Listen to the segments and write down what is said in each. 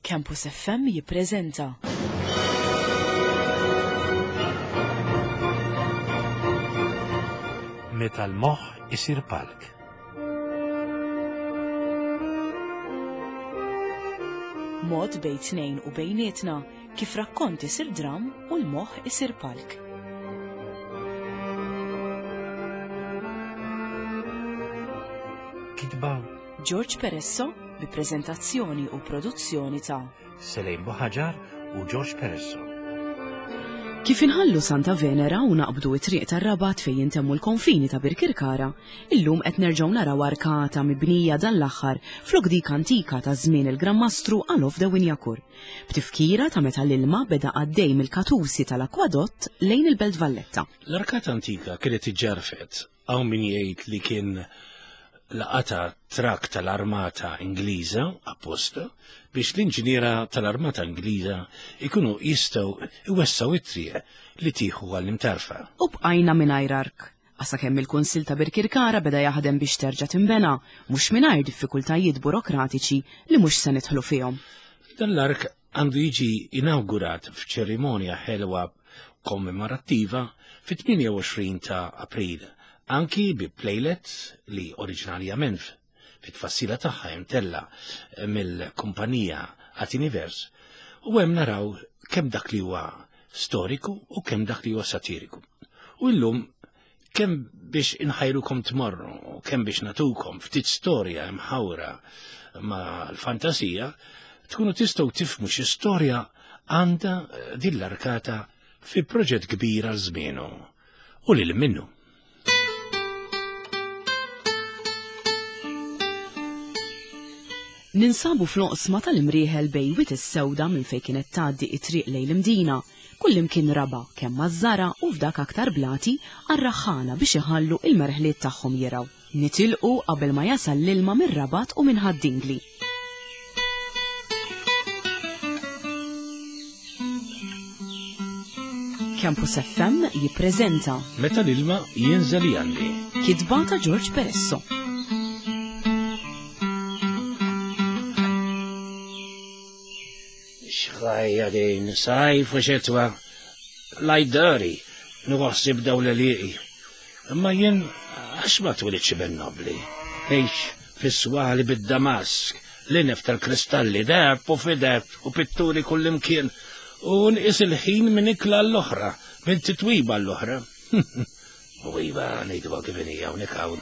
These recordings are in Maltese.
Campus FM jippreżenta. Meta l-moħħ isir palk. Mod bejn tnejn u bejnietna kif rakkont isir dram u l-moħħ isir palk. Kitba George Peresso bi preżentazzjoni u produzzjoni ta' Selejn Buħaġar u George Peresso. Kif inħallu Santa Venera u naqbdu it-triq tar-Rabat fejn jintemmu l-konfini ta' Birkirkara, illum qed nerġgħu naraw arkata mibnija dan l-aħħar flok dik antika ta' żmien il-Gran Mastru Alof de Wignacourt, b'tifkira ta' meta l-ilma beda għaddej mill-katusi tal-akwadott lejn il-Belt Valletta. L-arkata antika kienet iġġarfet Hawn min jgħid li kien laqata trakk tal-armata Ingliża apposta biex l-inġiniera tal-armata Ingliża ikunu jistgħu iwessgħu it-triq li tieħu għall-imtarfa. U bqajna mingħajr ark. Sakemm il-Kunsill ta' Birkirkara beda jaħdem biex terġa' tinbena, mhux mingħajr diffikultajiet burokratiċi li mhux se nidħlu fihom. Dan l-ark għandu jiġi inawgurat f'ċerimonja ħelwa kommemorattiva fit-28 ta' April, anki bi playlet li oriġinarjament fit-tfassila tagħha imtella mill-kumpanija Atinivers u hemm naraw kemm dak li huwa storiku u kemm dak li huwa satiriku. U llum kemm biex inħajrukom tmorru, kemm biex natukom ftit storja imħawra ma' l-fantasija, tkunu tistgħu tifhmu xi storja għandha din l-arkata fi proġett kbir għal żmienu u lil minnu. Ninsabu fl-oqsma tal-Imrieħel bejn Wied is-Sewda minn fejn kienet tgħaddi t-triq lejn l-Imdina, kullimkien raba' kemm maż-żara' u f'dak aktar blati għar-raħħala biex iħallu il-merħliet tagħhom jirgħu. Nitilqu qabel ma jasal l-ilma mir-Rabat u minn Ħad-Dingli. Campus FM jippreżenta Meta l-ilma jinżel jgħanni. Kitba ta' George Peresso. Xħajja din, sajf u xitwa, lajdari, nħossib daw l-liqi. Imma jien għax ma twilidx ben nobli. Għix fis-swali bid-damask, l-inef tal-kristalli, deheb u fideb u pitturi kullimkien, u nqis il-ħin minn ikla l-oħra, minn titwiba l-oħra. U iva, ngħidu kif inhi hawnhekk hawn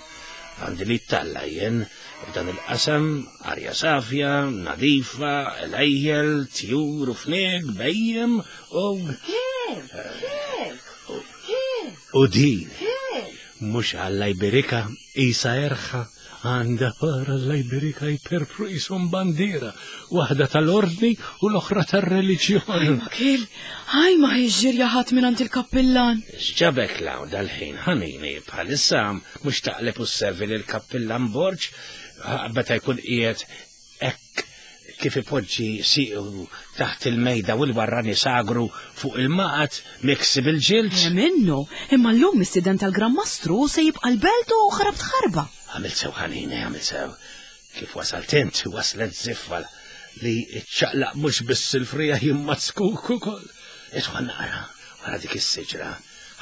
għandi li talla jien f'dan il-qasam arja safja, nadifa, lejjel, tjur u fnieg, bejjem u. U din, mhux Alla jberikha, isa erħa għandha par Alla jberikha jperpru qishom bandiera, waħda tal-ordni u l-oħra tar-reliġjon. Ħaj ma kil, ħaj ma hi ġirja ħadd mingħand il-kappillan. X'ġabek lawn dal-ħin ħanini bħalissa mhux taqleb u sservi lill-kappillan Borg meta jkun qiegħed hekk kif ipoġġi siequ taħt il-mejda u l-warrani sagru fuq il-maqgħad miksi bil-ġild. Eh, minnu, imma llum mistieden tal-Gran Mastru se jibqa' l-belt u ħrabt ħarba. Għamilt sew ħanini, għamilt sew. Kif wasalt int, waslet ziffa li ċċaqlaq mhux biss il-frija imma zkuk ukoll. Idħol naqra wara dik is-siġra,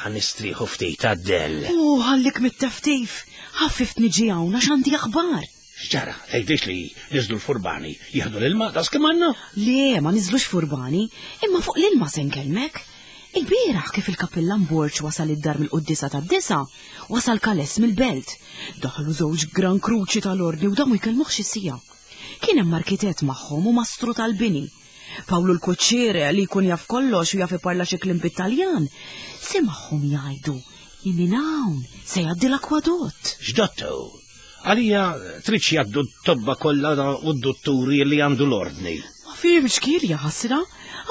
ħa nistrieħu ftit għad-dell. U ħallik mit-teftif, ħaffift niġi hawn għax għandi aħbar. X'ġara, tgħidlix li niżlu l-furbani jieħdu l-ilma daqs kemm għandna? Le, ma niżlux furbani, imma fuq l-ilma se nkellmek. Il-bieraħ kif il-Kappillan Borg wasal id-dar mill-quddiesa tad-disgħa, wasal Kales mill-belt. Daħlu żewġ Gran Kruċi tal-Ordni u damu jkellmuh xi siegħa. Kien hemm arkitett magħhom u mastru tal-bini. Pawlu l-kuċċier li jkun jaf kollox u jaf iparla xi kliem bit-Taljan, semagħhom jgħidu li minn hawn se jgħaddi l-akwadott. X'dottu? Għalija tridx jgħaddu t-tobba kollha u d-dutturi li għandu l-ordni. Ma fhimx kiel jaħasra,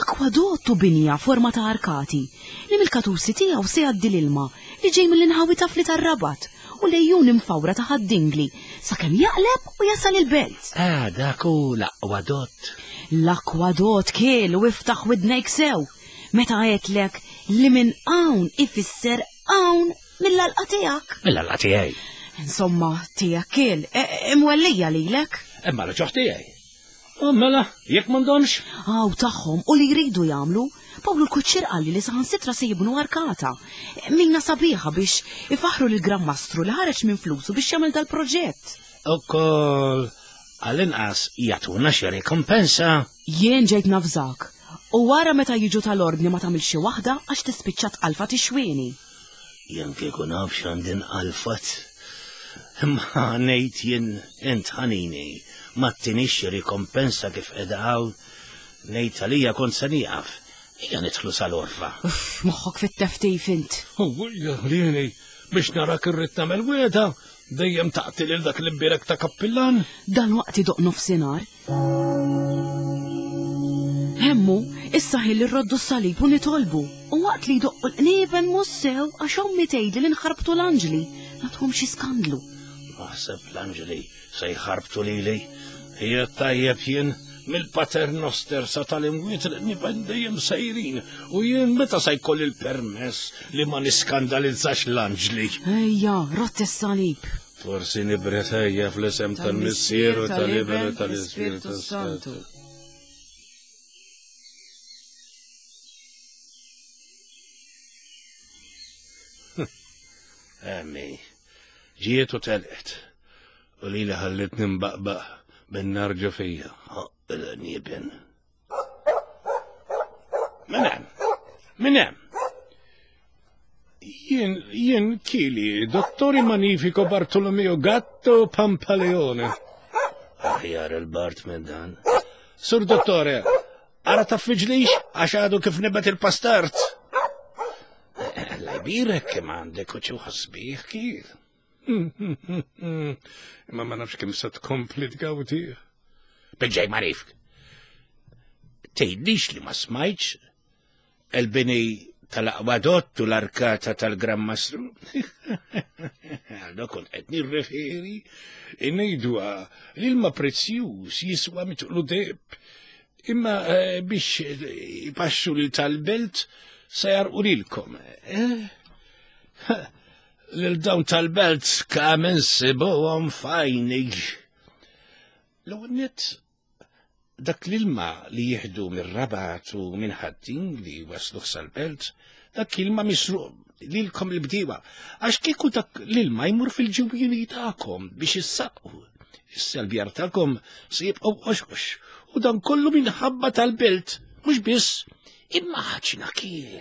akwadott u binja forma ta' arkati li mill-katusi tiegħu se jgħaddi l-ilma li ġej mill-inħawi tafli tar-Rabat u l-għejun imfawra ta' Ħad-Dingli sakemm jaqleb u jasal il-Belt. Ah, dak hu l-akwadott. L-akwadott kiel u iftaħ widnejk sew meta għedtlek li minn hawn ifisser hawn Mill-għalqa tiegħek. Mill-għalqa tiegħi. Insomma, tiegħek kiel, e, e, imwellija lilek. Imma l-ġoħ tiegħi. U mela, jekk m'għandhomx? Aw tagħhom u li jridu jagħmlu. Pawlu l-kuċċier qalli li saħansitra se jibnu arkata. Mina sabiħa biex ifaħru lil Gran Mastru li ħareġ minn flusu biex jagħmel dal-proġett. Ukoll għall-inqas jagħtuna xi rikompensa. Jien ġejt navżak. U wara meta jiġu tal-ordni ma tagħmilx xi waħda għax tispiċċa tqalfa tixwieni. Jien kieku naf x'għandi nqalfat. Imma ngħid jien int ħanini ma ttinix xi rikompensa kif qiegħda hawn. Ngħid għalija kont se nieqaf. Ejja nidħlu sal-orfa. Uff, moħħok fit-teftif int. Ewwejja ħlieni biex narak irrid nagħmel wiegħda dejjem taqti lil dak l-imbierek ta' kappillan. Dalwaqt idoqq nofsinhar. Hemmu, issa ħin li rroddu s-salib u nitolbu. U waqt li jdoqqu l-qniepen mhux sew għax ommi tgħidli li nħarbtu l-anġli, nagħtuhom xi skandlu. Naħseb l-anġli se jħarbtu lili. Hija tajjeb jien mill-Pater Noster sa tal-imwiet l-qniepen dejjem sejrin u jien meta se jkolli l-permess li ma niskandalizzax l-anġli. Ejja, rott is-salib. Forsi nibret ejja fl-isem tal-Missier u tal-Iben u tal-Ispirtu Santu. Emmi, ġiet u telqet. U li li ħallitni mbaqbaq bin-nar ġo fija. Il-nieben. Min hemm? Min hemm? Jien, jien kili, dottori Magnifico Bartolomeo Gatto Pampaleone. Aħjar il-Bart minn dan. Sur dottore, ara taffiġlix għax għadu kif nibet il-pastart. Lajbirek kemm għandek u ċuħasbih kif. Imma ma nafx kemm se tkompli tgawdi. Biġġej marifk. Tgħidlix li ma smajtx il-bini tal-aqwadott u l-arkata tal-Gran Mastru. Għalda kont qed nirreferi ngħidwa l-ilma prezzjuż jiswa mitqlu deb. Imma eh, biex ipaxxu lil tal-belt se jarqu lilkom. Eh? Lil dawn tal-belt kemm insibuhom fajni. L-ewwel nett dak l-ilma li jieħdu mir-Rabat u minn Ħaddin li wasluh sal-belt, dak ilma misruq lilkom il-bdiewa, għax kieku dak l-ilma jmur fil-ġewwieni tagħkom biex issaqqu. Issa l-bjar tagħkom se jibqgħu qoxqox u dan kollu minħabba tal-belt, mhux biss Immaġina kiel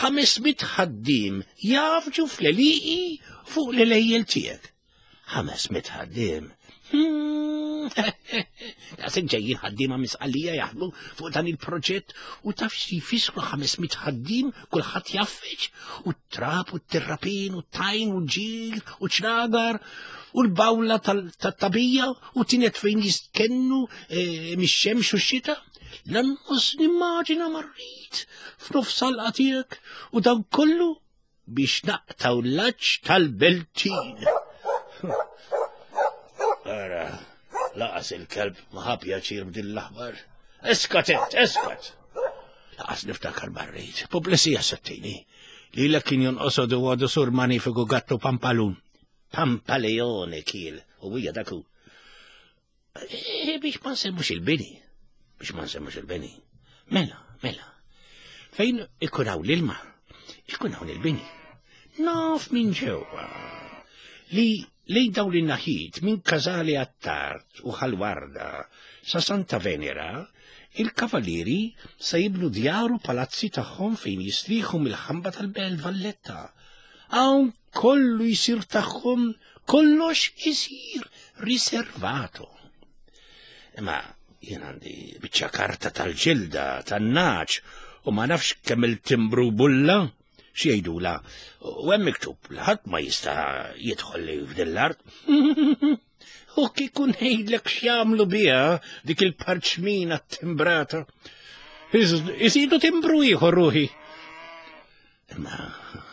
500 ħaddiem jafġu fl-għelieqi fuq l-għelejjel tiegħek. 500 ħaddiem. Daqshekk ġejjin ħaddiema misqalija jaħdmu fuq dan il-proġett u taf xi jfissru 500 ħaddiem kulħadd jaffeġ u t-trab u t-terrapin u t-tajn u l-ġir u ċragar u l-bawla tat-tabija u tinet fejn jistkennu eh, mix-xemx u x-xita. Lanqas nimmaġina ma rrid f'nofs għalqa tiegħek u dan kollu biex naqtaw l-laċ tal-beltin. Ara, laqas il-kelb ma ħa pjaċir b'din l-aħbar. Eskat int, eskat! Laqas niftakar marrit, pubblissija settini. Li l kien jonqosodu għadu sur manifiku gattu pampalun. Pampaleone kiel, u hija daku. Eh, biex ma nsemmux il-bini, biex ma nsemmux il-bini. Mela, mela, fejn ikun hawn l-ilma, ikun hawn il-bini. Naf minn ġewwa li lejn dawn in-naħiet minn Casale Attard u Ħalwarda sa Santa Venera, il-kavalieri se jibnu djar u palazzi tagħhom fejn jistrieħu mill-ħamba tal-Belt Valletta. Hawn kollu jsir tagħhom, kollox isir riservato. Imma jien għandi biċċa karta tal-ġilda, tan-naċ, u ma nafx kemm il-timbru bulla, xi jgħidula, u hemm miktub li ħadd ma jista' jidħol li f'din l-art. U kieku ngħidlek x'jagħmlu biha dik il-parċmina timbrata. Iżidu timbru ieħor ruħi. Imma,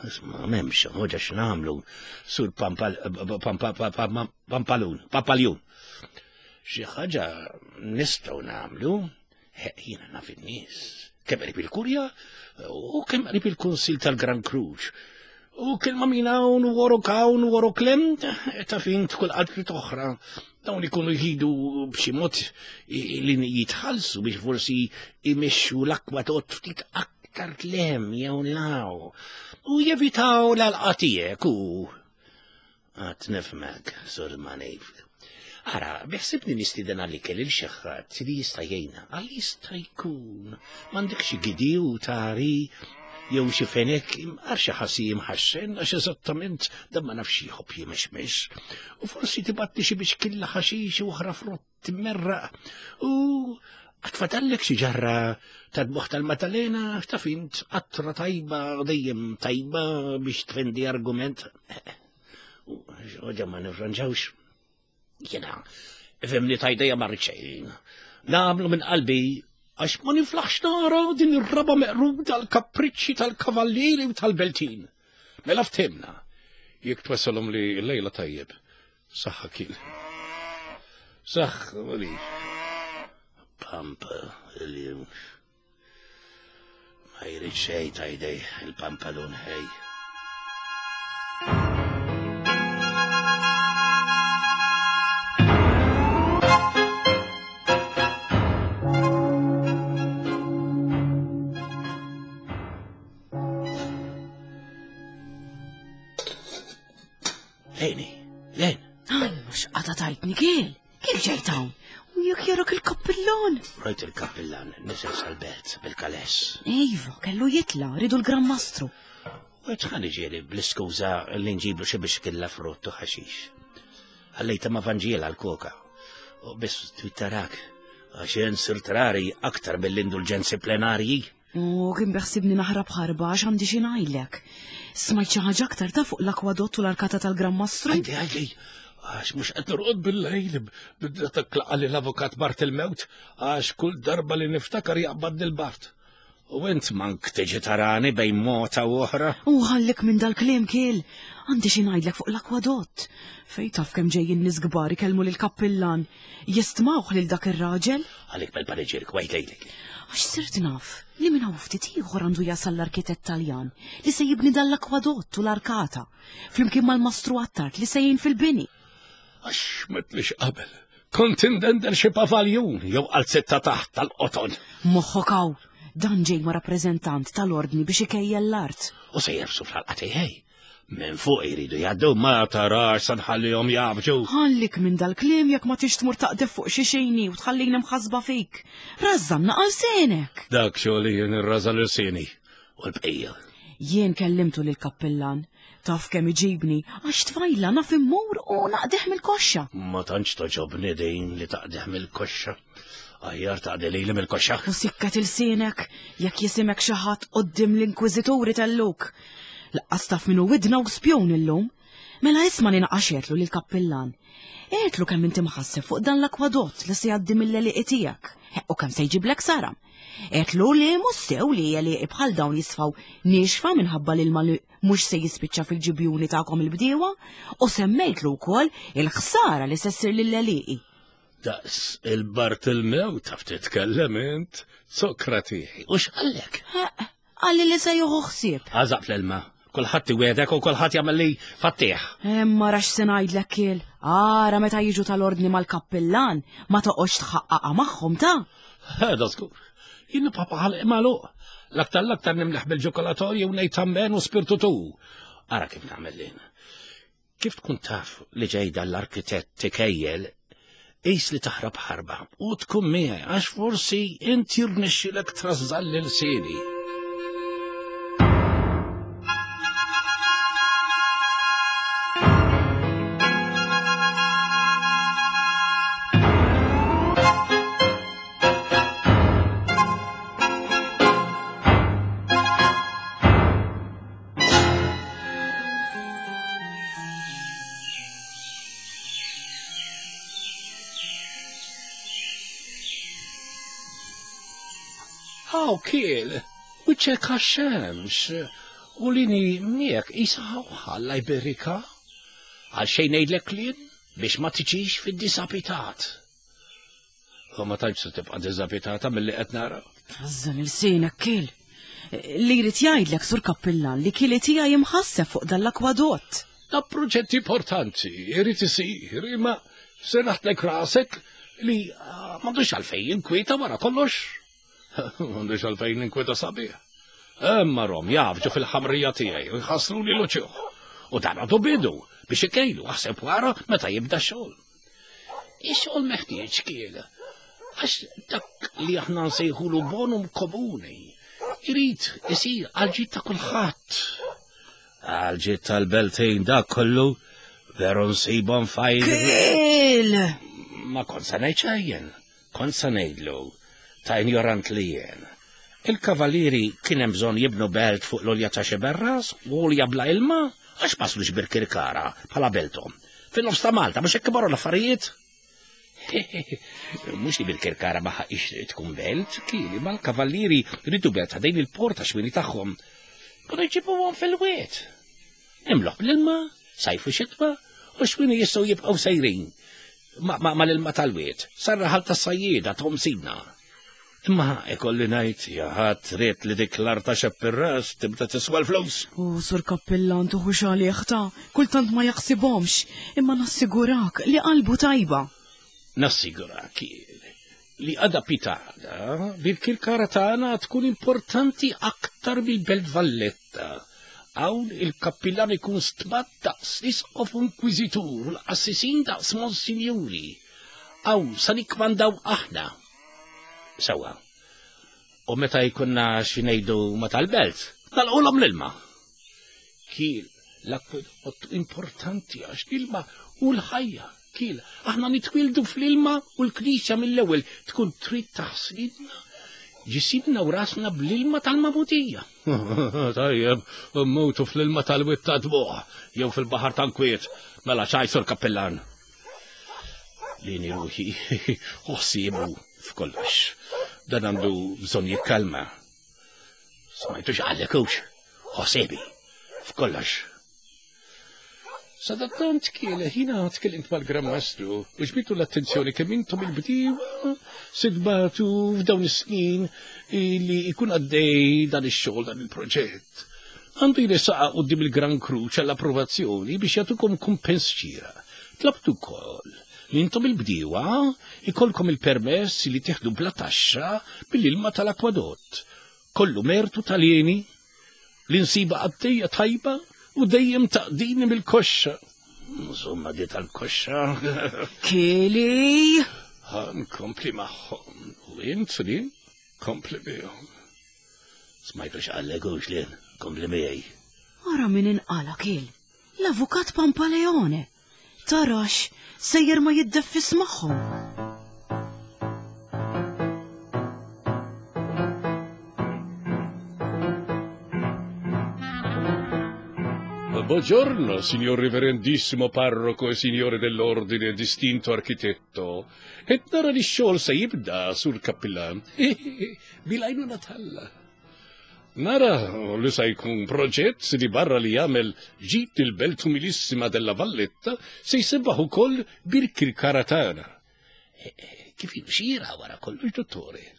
isma, m'hemmx ħoġa x'nagħmlu sur pampalun, pampaljun. Xi ħaġa nistgħu nagħmlu, jiena naf in-nies, kemm qrib il-kurja u kemm qrib il-Kunsil tal-Gran Kruċ. U kelma minn hawn u worok hawn u worok lem, ta' fin tkun qalb oħra. Dawn ikunu jħidu b'xi mod li jitħallsu biex forsi imexxu l-akwadott ftit aktar tlem jew law. U jevitaw l-għalqa tiegħek u Għad nifhmek, Sur Manif. Ara, biħsibni nistieden għal-ikel il xi ħadd li jista' jgħinna, għal jista' jkun. M'għandek xi gidi u tari jew xi fenek għar xi ħassi jimħaxxen għax eżattament dan ma nafx jħobb jimexmex. U forsi tibatti xi biex killa ħaxix u oħra frott timmerraq u għatfatallek xi ġarra tad-buħ tal-Matalena taf int qatra tajba dejjem tajba biex tfendi argument. Oġa ma nifranġawx. Jena, fimni tajdeja ma rridx Nagħmlu minn qalbi għax ma niflaħx nara din ir-raba meqrud tal-kapriċċi tal-kavallieri u tal-beltin. Mela ftemna, jekk twassalhom li l-lejla tajjeb, Saħħa kien. Saħħa li. Pampa li ma jrid xejn ta' jdej il-pampalun ħej. Leni, Len. Ay, mux għada tajtni kiel. Kif ġejt hawn? U jekk jarak il-kappillan. Rajt il-kappillan nisel sal-belt bil-kales. Iva, kellu jitla, ridu l-Gran Mastru. U ħan iġieli bl-iskuża li nġiblu xi biex killa frott u ħaxix. Ħallejta ma' Vanġiela l-koka. U biss twittarak, għax jien sirt rari aktar mill-indulġenzi plenarji. U kien beħsibni naħrab ħarba għax għandi xi ngħidlek. Smajt xi ħaġa aktar ta' fuq l-akwadott u l-arkata tal-Gran Mastru? Għajdi, għajdi, għax mhux qed norqod bil-lejl bidda taklaqa li l-avukat Bart il-mewt għax kull darba li niftakar jaqbad il-Bart. U int mank tiġi tarani bejn mota u oħra. U ħallik minn dal-kliem kiel. Għandi xi ngħidlek fuq l-akwadott. Fej taf kemm ġejjin nies kbar ikellmu lill-kappillan. Jistmawh lil dak ir-raġel? Għalik bel-paniġirik, wajt lejlek. Għax sirt naf li minn hawn ftit ieħor għandu jasal l-arkitett Taljan li se jibni dan l-akwadott u l-arkata, flimkien mal-mastru Attard li se jgħin fil-bini. Għax m'għedtlix qabel, kont indendel xi pavaljun jew qalzitta taħt tal-qoton. Moħħok hawn, dan ġej ma' rappreżentant tal-ordni biex ikejjel l-art. U se jerfsu fl-ħalqa tiegħi. Minn fuq jridu jgħaddu ma tarax sa nħallihom jgħabġu. Ħallik minn dal-kliem jekk ma tix tmur taqdef fuq xi xejni u tħallini mħassba fik. Rażżanna għal senek. Dak xogħli jien irraża l-irsieni u l-bqija. Jien kellimtu lil kappillan. Taf kemm iġibni għax tfajla naf immur u naqdeħ mill-koxxa. Ma tantx toġobni din li taqdeħ mill-koxxa. Aħjar taqdi lili mill-koxxa. U sikket ilsienek jekk jisimek xi ħadd quddiem l-inkwiżituri telluk. Laqqas taf min hu widna u spjun illum. Mela isma' li naqax għedtlu lill-kappillan. Għedtlu kemm inti mħasseb fuq dan l-akwadott li se jgħaddi mill-għelieqi tiegħek u kemm se jġiblek saram. Għedtlu li mhux sew li għelieqi bħal dawn jisfaw niexfa minħabba l-ilma li mhux se jispiċċa fil-ġibjuni tagħkom il-bdiewa u semmejtlu wkoll il-ħsara li se ssir lill-għelieqi. Daqs il-Bartilmew taf titkellem int, Sokrati. U x'qallek? Qalli li se jieħu ħsieb. Għażaq fl-ilma. Kulħadd iwiegħdek u kulħadd jagħmel li fattih. Imma rax se ngħidlek kiel. Ara meta jiġu tal-ordni mal-kappillan, ma toqgħodx tħaqqaqha magħhom ta'. Ħeda żgur. Jien nibqa' ħalqi magħluq. L-aktar l-aktar nimleħ bil-ġokolatorju u ngħid ammen u spirtu tu. Ara kif nagħmel lin. Kif tkun taf li ġej dan l-arkitett ikejjel, qis li taħrab ħarba u tkun miegħi għax forsi int jirnexxilek trażżal lil sieni. Haw kiel, wiċċek għax-xemx, u lini miegħek qisha ħalla jberika. Għal xejn ngħidlek kliem biex ma tiġix fid-disapitat. U ma tantx se tibqa' diżapitata milli qed nara. Trażżan ilsienek kiel. Li jrid jgħidlek sur kappillan li kili tiegħi imħasseb fuq dan l-akwadott. Da proġett importanti, irid isir, imma serraħtlek rasek li ah, m'għandux għalfejn inkwieta wara kollox. M'għandux għalfejn inkwieta sabiħ. Imma rom jafġu fil-ħamrija tiegħi u jħassru li l-uċuħ. U dan għadu bidu biex ikejlu aħseb wara meta jibda xogħol. Ix-xogħol meħtieġ kiel. Għax dak li aħna nsejħulu bonum komuni irid isir għal ta' kulħadd. Għal tal-beltejn dak kollu veru nsibhom fajl. Kiel! Ma kont se ngħid xejn, kont se ngħidlu ta' injorant li jien. Il-kavalieri kien hemm bżonn jibnu belt fuq l-olja ta' xiberras u olja bla ilma għax paslux Birkirkara bħala belthom. Fin-nofs ta' Malta mhux hekk imorru l-affarijiet? Mhux li Birkirkara ma ħaqix tkun belt, kieli ma l-kavallieri ridu belt ħdejn il-port għax wini tagħhom. Kienu jġibuhom fil-wied. Imloħ bl-ilma, sajfu xitwa, u xwini jistgħu jibqgħu sejrin ma l-ilma tal-wied, sarraħal tas-sajjieda tom sidna. Imma ikolli ngħid jaħat trid li dik l-art ta' xepp ir-ras tibda tiswa l-flus. U sur kappillan tuħu għalih ta' kultant ma jaħsibhomx, imma nassigurak li qalbu tajba. Nassigurak li għada pitada bil-kirkara tagħna tkun importanti aktar mill-Belt Valletta. Hawn il-kappillan ikun stmat daqs l-isqof inkwiżitur u l-qassisin daqs monsinjuri. Hawn sa nikkmandaw aħna. Sewa. U meta jkunna xi ngħidu ma tal-belt, nalqulhom l-ilma. Kiel, l-akwedott importanti għax l-ilma u l-ħajja. Kiel, aħna nitwildu fl-ilma u l-knisja mill-ewwel tkun trid taħslidna ġisimna u rasna bl-ilma tal-magħmudija. Tajjeb, mmutu fl-ilma tal-wied ta' dmuħ, jew fil-baħar ta' nkwiet, mela ċajsur kappillan. Lini ruħi, uħsibu f'kollox. Dan għandu bżonn jikkalma. Smajtu x'qallek hux, ħosibi f'kollox. Sadattant kien ħina tkellimt mal-Gran Mastru u ġbitu l-attenzjoni kemm intom il-bdiewa sidbatu f'dawn is-snin li jkun għaddej dan ix-xogħol dan il-proġett. Għandu jressaqha quddiem il-Gran Kruċ għall-approvazzjoni biex jagħtukom kumpens xieraq. Tlabtu wkoll li intom il-bdiewa ikollkom il-permess li tieħdu bla taxxa mill-ilma tal-akwadott. Kollu mertu tal-jeni li nsiba għaddejja tajba u dejjem taqdini mill-koxxa. Insomma, di tal-koxxa. Kili! Nkompli magħhom. U int li kompli bihom. Smajtu x'qallek hux lien, kompli miegħi. Ara min inqala kiel, l-avukat Pampaleone. Tarax, sejjer ma jiddeffis magħhom. Buongiorno, signor reverendissimo parroco e signore dell'ordine distinto architetto. Et nara li x-xogħol se jibda sur kappillan. Bil-għajnuna t'Alla. Nara li sa jkun proġett li barra li jagħmel ġid il-belt umilissima della Valletta se jsebbaħ ukoll Birkirkara tagħna. E, e, kif xira wara kollox, dottore.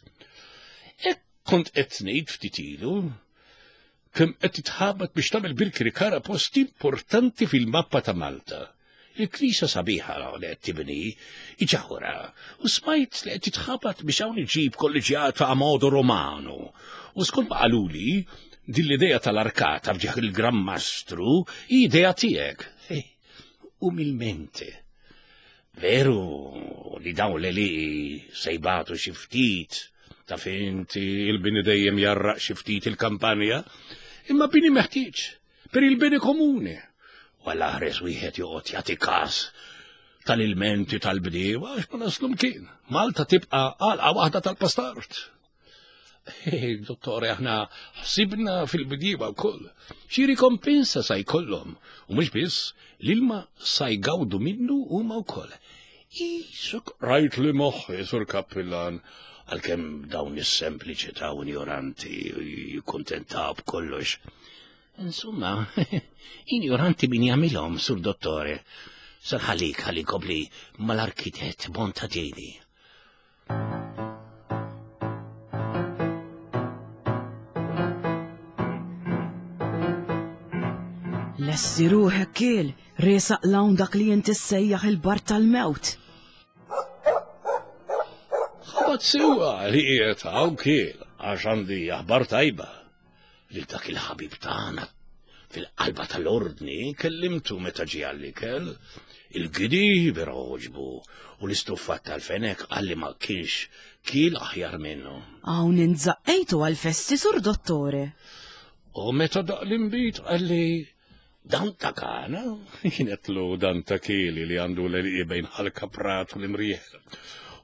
Hekk kont qed ngħid ftit ilu kemm qed titħabat biex tagħmel Birkirkara post importanti fil-mappa ta' Malta. Il-knisja sabiħa li qed tibni iġawra u smajt li qed titħabat biex hawn iġib kolleġjata a modo romano. U skont ma qaluli, din l-idea tal-arkata f'ġieħ il-Gran Mastru hi idea tiegħek. Eh, umilmente. Veru li dawn li sejbatu xi ftit ta' finti il-bini dejjem jarraq xi ftit il-kampanja, imma bini meħtieġ per il-bene komune. U għall-aħres wieħed joqgħod jagħti każ tal-ilmenti tal-bdiewa għax ma naslu mkien. Malta tibqa' għalqa waħda tal-pastart. Dottore, aħna ħsibna fil-bdiewa wkoll. Xi rikompensa sa jkollhom u mhux biss l-ilma sa jgawdu minnu huma wkoll. Isuk rajt li moħħi sur kappillan għalkemm dawn is-sempliċità u injoranti jikkuntentaw b'kollox. Insomma, injoranti min jagħmilhom, sur dottore. Sarħalik ħalli nkompli mal-arkitett Bontadini. Lesti ruħek kiel, resaq lawn dak li inti ssejjaħ il-bar tal-mewt. Ħabat sewa li qiegħed hawn kiel għax għandi aħbar tajba lil dak il-ħabib tagħna fil-qalba tal-ordni kellimtu meta ġie għall-ikel, il-gidi vera għoġbu u l-istuffat tal-fenek qalli ma kienx kiel aħjar minnu. Hawn intżaqqejtu għall-festi sur dottore. U meta daq l-inbid qalli dan ta' kana, jienetlu dan ta' kieli li għandu l-għelieqi bejn ħal-kaprat u l-imrieħel.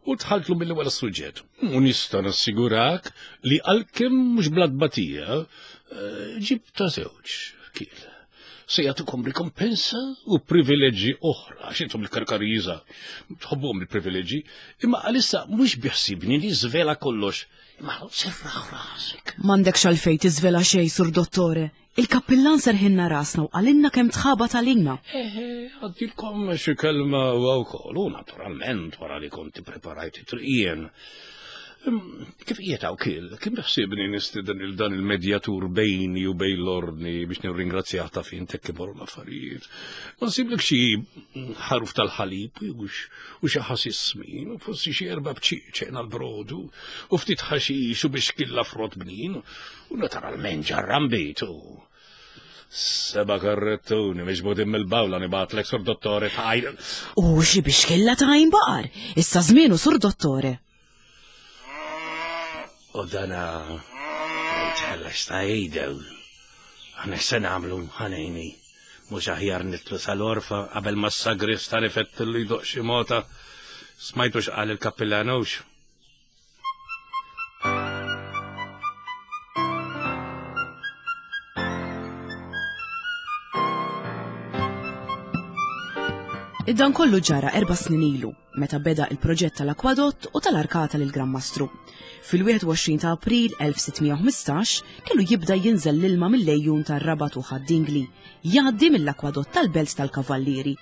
U dħaltlu mill-ewwel għas-suġġett. U nista' nassigurak li għalkemm mhux bla tbatija, eh, ġib ta' żewġ kiel. Se jagħtukom rikompensa u privileġġi oħra, għax intom il-Karkariża tħobbuhom il-privileġġi, imma għalissa mhux biħsibni li żvela kollox. Imma serraħ rasek. M'għandekx għalfejn tiżvela xejn, Sur Dottore. Il-kappillan serħilna rasna u qalilna kemm tħabat għalina. Eħe, għaddilkom xi kelma huwa wkoll, u naturalment wara li kont ippreparajt it-triq jien. Kif qiegħed hawn kiel, kien biħsiebni nistieden il dan il-medjatur bejni u bejn l-ordni biex nirringrazzjah ta' fin tek imorru l-affarijiet. Ma nsiblek xi ħaruf tal-ħalib u xi ħasis smin, u forsi xi erba' bċieċen għall-brodu, u ftit ħaxix u biex killa frott bnin, U naturalment ġarran bitu. Seba karrettuni miġbudin mill-bawla nibatlek sur dottore ta' għajn. U xi biex kella ta' għajn baqar, issa żmienu sur dottore. U dana jitħallas ta' jgħidew. Aħna x'se nagħmlu ħanejni. Mhux aħjar nitlu sal-orfa qabel ma s-sagrista nifettillu jdoq xi mota. Smajtu x'qal il-kappillanux. Dan kollu ġara erba' snin ilu, meta beda il-proġett tal-akwadott u tal-arkata lil Gran Mastru. Fil-21 ta' April 1615 kellu jibda jinżel l-ilma mill-lejjun tar-Rabat u Ħad-Dingli, jgħaddi mill-akwadott tal-Belt tal-Kavallieri.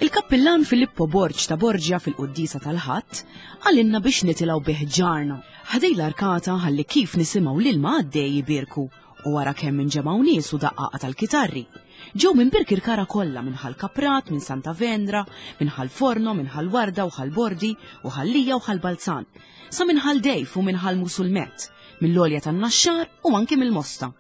Il-Kappillan Filippo Borg ta' Borgia fil-quddiesa tal-Ħadd qalilna biex nitilgħu bi ħġarna ħdej l-arkata ħalli kif nisimgħu l-ilma għaddej ibierku u wara kemm inġemgħu nies u daqqaqa tal-kitarri. Ġew minn Birkirkara kollha minn Ħal Kaprat, minn Santa Venra, minn Ħal Forno, minn Ħal Warda u Ħal Bordi u Ħal Lija u Ħal Balzan, sa minn Ħal Dejf u minn Ħal Musulmet, mill-Għolja tan-Naxxar u anki mill-Mosta.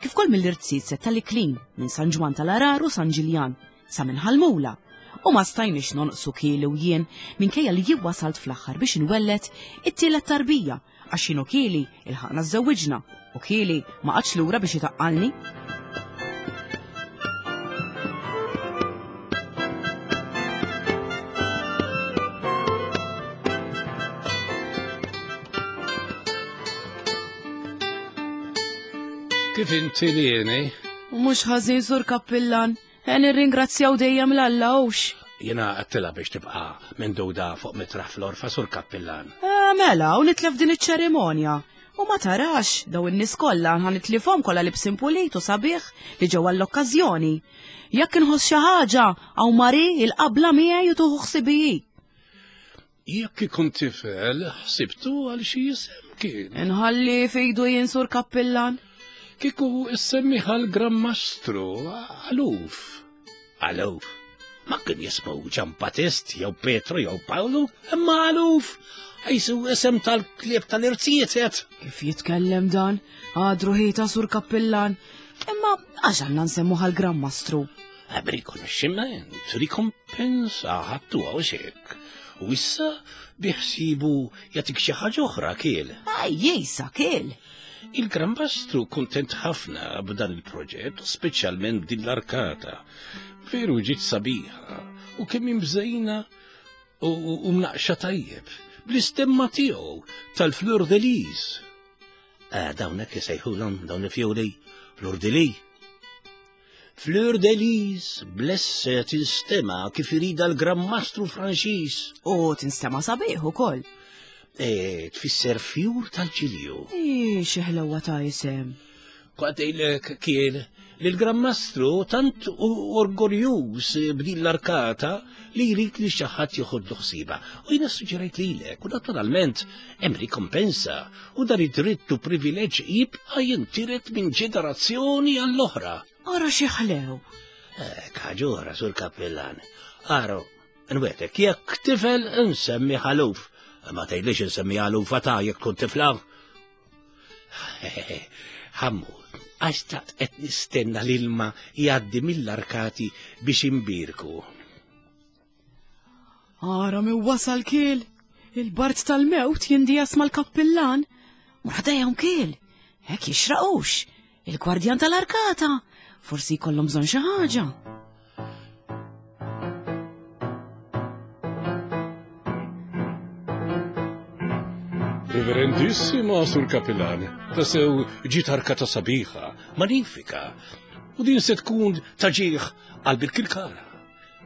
Kif ukoll mill-Irziezet tal-Iklin, minn San Ġwann tal-Għarar u San Ġiljan, sa minn Ħal-Mula, u ma stajniex nonqsu Kieli u jien minkejja li jien wasalt fl-aħħar biex inwelled it-tielet tarbija għax jien u Kieli ilħaqna żżewwiġna u Kieli ma qagħadx lura biex itaqqalni. Kif inti lieni? U mhux ħażin sur kappillan. E nirringrazzjaw dejjem l-Alla hux. Jiena għattilha biex tibqa' menduda fuq mitraħ fl-orfa sur kappillan. E, mela, u nitlef din iċ-ċerimonja. U ma tarax, daw in-nies kollha ħa nitlifhom kollha libsin pulit u sabiħ li ġew għall-okkażjoni. Jekk inħoss xi ħaġa, hawn Mari il-qabla miegħi u tuħu ħsibi hi. Jekk ikun tifel, ħsibtu għal xi isem kien. Inħalli fejdu jien sur kappillan. Kieku issemmi għal Gran Mastru, għaluf. Għaluf. Ma kien jismu Ġan Battist, jew Petru, jew Pawlu, imma għaluf. Għajsu isem tal-klieb tal-irzijiet. Kif jitkellem dan? Għadru ħita sur kappillan. Imma għax għandna nsemmu għal Gran Mastru. B'rikonoxximent, rikompensa ħadtu għaw xek. U issa biħsibu jagħtik xi ħaġa oħra kiel. Ej, jisa kiel. Il-Gran Mastru kuntent ħafna b'dan il-proġett, speċjalment b'din l-arkata. Veru ġiet sabiħa u kemm imżejna u mnaqxa tajjeb bl-istemma tiegħu tal-Fleur de Lis. Ah, dawn hekk isejħulhom dawn il-fjuri Fleur de Lis. Fleur de Lis blesse tinstema kif irida l-Gran Mastru Franċiż. U tinstema sabiħ ukoll. E, tfisser fjur tal-ġilju. Ii, xi ħlewwa ta' isem. Kwatejlek kien li l-Gran Mastru tant u orgoljuż b'din l-arkata li jrid li xi ħadd joħodlu ħsieba. U jiena suġġerejt lilek u naturalment hemm rikompensa u dan id-dritt u privileġġ jibqa' jintiret minn ġenerazzjoni għall-oħra. Ara xi ħlew! Eh, Kaġura sur kappillan. Aro, nwetek, jekk tifel nsemmi ħaluf. Ma tgħidlix insemmi ħalufa ta' jekk tkun tifla. Ħammu, għax taqt qed nistenna l-ilma jgħaddi mill-arkati biex imbirku. Ara mi wasal kiel, il-bart tal-mewt jindijas mal-kappillan. Mur kiel, hekk jixraqux, il-gwardjan tal-arkata, forsi jkollhom bżonn xi ħaġa. Reverendissima Sur Kapillan, tasew ġiet arkata sabiħa, manifika, u din se tkun taġieħ għal Birkirkara.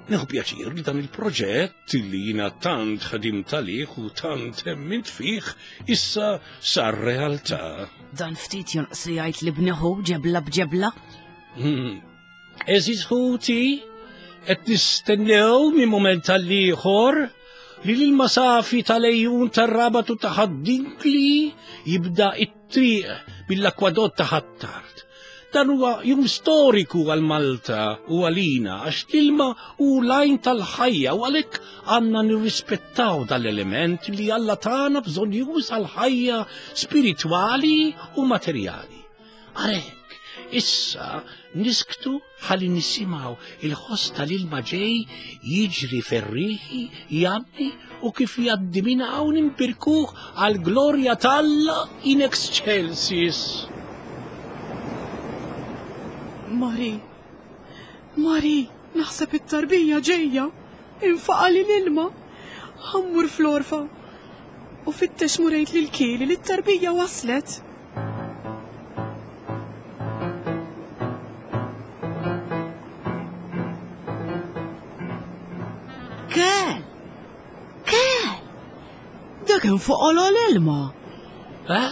Nieħu pjaċir li dan il-proġett li jina tant ħadimt għalih u tant emmint fih issa sar realtà. Dan ftit jonqs li jgħid li bniħu ġebla b'ġebla. Hmm. Eżiż ħuti, qed nistennew minn mument għall-ieħor li l-ilma safi tal-ejjun tar-rabat u ta' Ħad-Dingli jibda it-triq mill-akwadott ta' Ħ'Attard. Dan huwa jum storiku għal Malta u għalina għax l-ilma hu l-għajn tal-ħajja u għalhekk għandna nirrispettaw dal-element li Alla tagħna bżonjuż għall-ħajja spiritwali u materjali. Għalhekk, issa nisktu ħalli nisimgħu il-ħoss tal-ilma ġej jiġri ferrieħi, jgħaddi u kif jgħaddi minn hawn imbirkuh għal glorja t'Alla in excelsis. Mari, Mari, naħseb it-tarbija ġejja, infaqali l-ilma, ħammur fl-orfa. U fittex murejt lil Kieli li t-tarbija waslet. Kel! Kel! Dak hemm fuq l-ilma. Eh?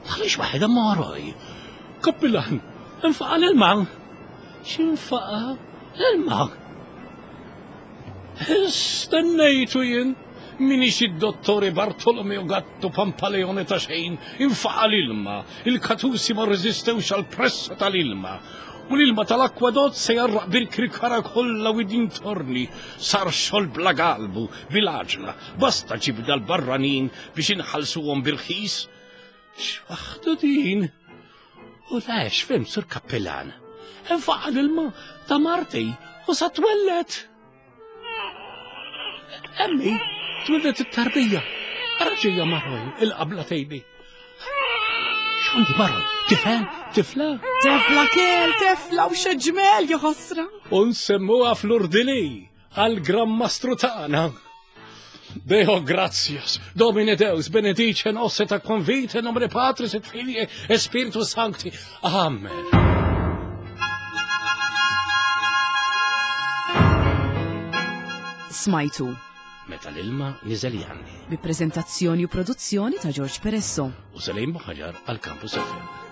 Għaliex waħedha moroj? Kappillan, infaqa l-ilma. X'infaqa l-ilma? Stennejtu jien, minix id-dottore Bartolomeo Gatto Pampaleone ta' xejn, infaqa l-ilma, il-katusi ma rreżistewx għall-pressa tal-ilma, u l-ilma tal-akwadott se jarraq bil-krikara kollha u dintorni, sar xogħol bla galbu, bil-għaġla, basta ġibda l-barranin biex inħallsuhom bil-ħis. X'waħdu din? U lex, fim, sur kappillan. Infaqa l-ilma ta' marti u sa twellet. Emmi, twellet it-tarbija. Raġija marroj, il-qabla tejbi. X'għandi marroj? Tifel? Tifla? Tifla kiel, tifla u xeġmel joħosra. Unsemmuha fl-urdili għal-Gran Mastru tagħna. Deo gratias, Domine Deus, benedice nos et aquam vitae, nomine Patris et Filii et Spiritus Sancti. Amen. Smajtu. Meta l-ilma niżel janni. Bi prezentazzjoni u produzzjoni ta' George Peresso. U Selim Ħaġar għal Campus FM.